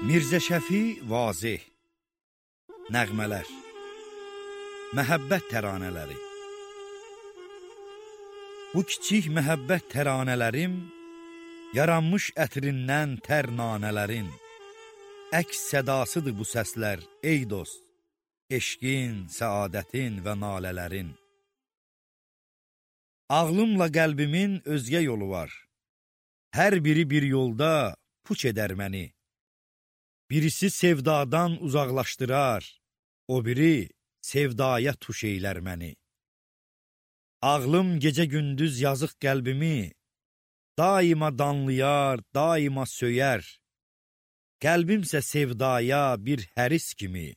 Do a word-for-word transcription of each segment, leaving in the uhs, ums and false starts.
Mirzə Şəfi Vazeh. Nəğmələr. Məhəbbət təranələri. Bu kiçik məhəbbət təranələrim, yaranmış ətrindən tər nanələrin, əks sədasıdır bu səslər, ey dost, eşqin, səadətin və nalələrin. Ağlımla qəlbimin özgə yolu var, hər biri bir yolda puç edər məni. Birisi sevdadan uzaqlaşdırar, o biri sevdaya tuş eylər məni. Ağlım gecə-gündüz yazıq qəlbimi, daima danlayar, daima söyər. Qəlbimsə sevdaya bir həris kimi,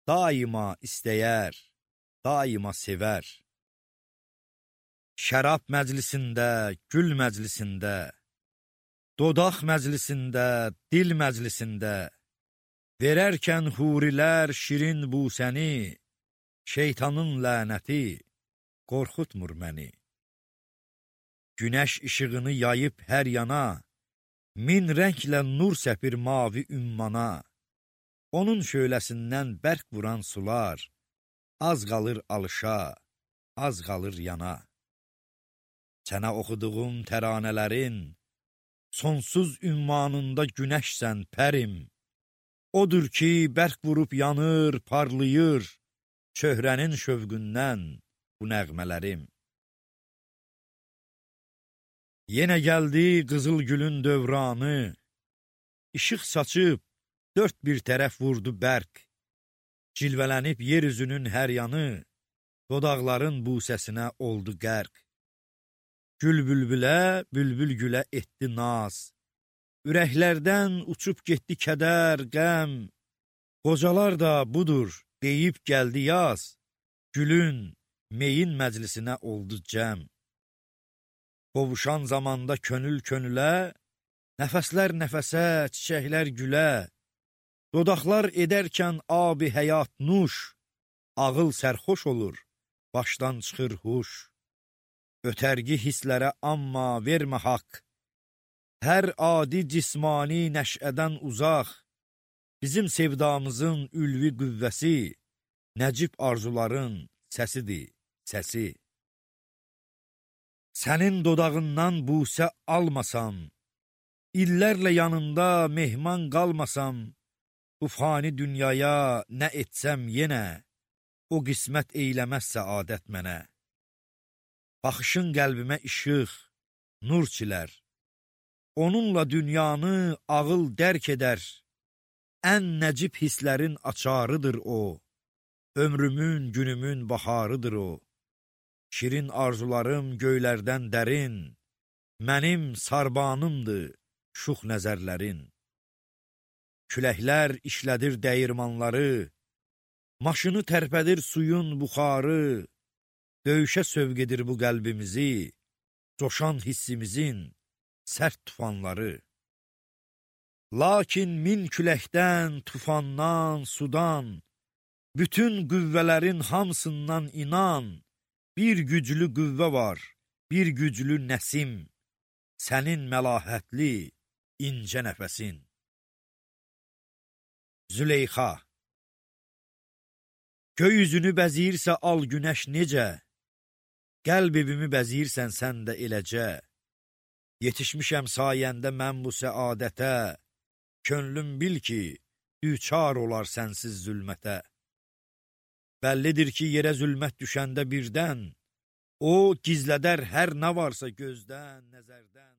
daima istəyər, daima sevər. Şərab məclisində, gül məclisində, dodaq məclisində, dil məclisində, verərkən hurilər şirin busəni, şeytanın lənəti qorxutmur məni. Günəş işığını yayıb hər yana, min rənglə nur səpir mavi ümmana. Onun şöləsindən bərk vuran sular, az qalır alışa, az qalır yana. Sənə oxuduğum təranələrin, sonsuz ümmanında günəşsən pərim. Odur ki, bərk vurub yanır, parlayır, çöhrənin şövqündən bu nəğmələrim. Yenə gəldi qızıl gülün dövranı, işıq saçıb, dörd bir tərəf vurdu bərk. Cilvələnib yer üzünün hər yanı, dodaqların busəsinə oldu qərq. Gül bülbülə, bülbül gülə etdi naz, ürəklərdən uçub getdi kədər, qəm. Qocalar da budur, deyib gəldi yaz, gülün, meyin məclisinə oldu cəm. Qovuşan zamanda könül könülə, nəfəslər nəfəsə, çiçəklər gülə. Dodaqlar edərkən abi həyat nuş, ağıl sərxoş olur, başdan çıxır huş. Ötərgi hisslərə amma vermə haqq, hər adi cismani nəşədən uzaq, bizim sevdamızın ülvi qüvvəsi, nəcib arzuların səsidir, səsi. Sənin dodağından busə almasam, illərlə yanında mehman qalmasam, bu fani dünyaya nə etsəm yenə, o qismət eyləməz səadət mənə. Baxışın qəlbimə işıq, nur çilər, onunla dünyanı ağıl dərk edər, ən nəcib hisslərin açarıdır o, ömrümün, günümün baharıdır o. Şirin arzularım göylərdən dərin, mənim sarbanımdır şux nəzərlərin. Küləklər işlədir dəyirmanları, maşını tərpədir suyun buxarı, döyüşə sövq edir bu qəlbimizi, coşan hissimizin sərt tufanları. Lakin min küləkdən, tufandan, sudan, bütün qüvvələrin hamısından inan, bir güclü qüvvə var, bir güclü nəsim, sənin məlahətli, incə nəfəsin. Züleyxa. Göy üzünü bəziyirsə al günəş necə, qəlb evimi bəziyirsən sən də eləcə. Yetişmişəm sayəndə mən bu səadətə, könlüm bil ki, düçar olar sənsiz zülmətə. Bəllidir ki, yerə zülmət düşəndə birdən, o gizlədər hər nə varsa gözdən, nəzərdən.